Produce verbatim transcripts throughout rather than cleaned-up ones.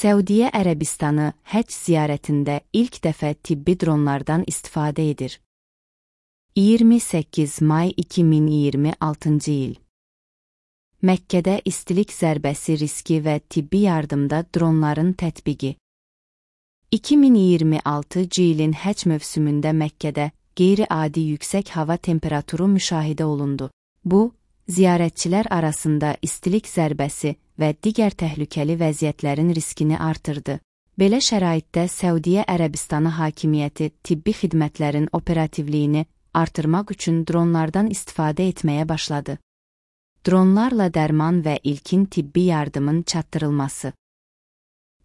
Səudiyyə Ərəbistanı həcc ziyarətində ilk dəfə tibbi dronlardan istifadə edir. iyirmi səkkiz may iki min iyirmi altıncı il. Məkkədə istilik zərbəsi riski və tibbi yardımda dronların tətbiqi. iki min iyirmi altıncı ilin həcc mövsümündə Məkkədə qeyri-adi yüksək hava temperaturu müşahidə olundu. Bu, ziyarətçilər arasında istilik zərbəsi və digər təhlükəli vəziyyətlərin riskini artırdı. Belə şəraitdə Səudiyyə Ərəbistanı hakimiyyəti tibbi xidmətlərin operativliyini artırmaq üçün dronlardan istifadə etməyə başladı. Dronlarla dərman və ilkin tibbi yardımın çatdırılması.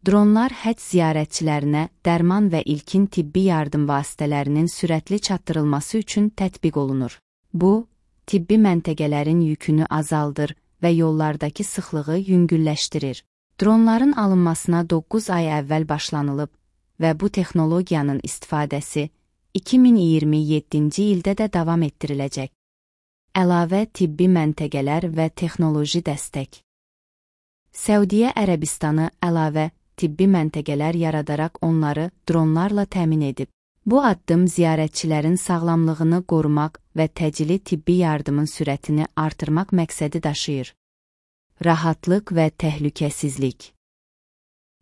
Dronlar həcc ziyarətçilərinə dərman və ilkin tibbi yardım vasitələrinin sürətli çatdırılması üçün tətbiq olunur. Bu, tibbi məntəqələrin yükünü azaldır və yollardakı sıxlığı yüngülləşdirir. Dronların alınmasına doqquz ay əvvəl başlanılıb və bu texnologiyanın istifadəsi iki min iyirmi yeddinci ildə də davam etdiriləcək. Əlavə tibbi məntəqələr və texnoloji dəstək. Səudiyyə Ərəbistanı əlavə tibbi məntəqələr yaradaraq onları dronlarla təmin edib. Bu addım ziyarətçilərin sağlamlığını qorumaq və təcili tibbi yardımın sürətini artırmaq məqsədi daşıyır. Rahatlıq və təhlükəsizlik.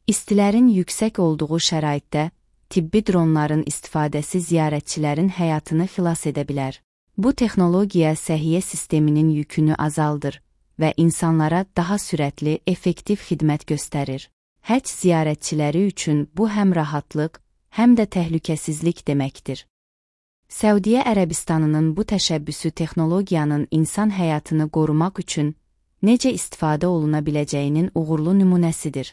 İstilərin yüksək olduğu şəraitdə tibbi dronların istifadəsi ziyarətçilərin həyatını xilas edə bilər. Bu texnologiya səhiyyə sisteminin yükünü azaldır və insanlara daha sürətli, effektiv xidmət göstərir. Həcc ziyarətçiləri üçün bu həm rahatlıq, həm də təhlükəsizlik deməkdir. Səudiyyə Ərəbistanının bu təşəbbüsü texnologiyanın insan həyatını qorumaq üçün necə istifadə oluna biləcəyinin uğurlu nümunəsidir.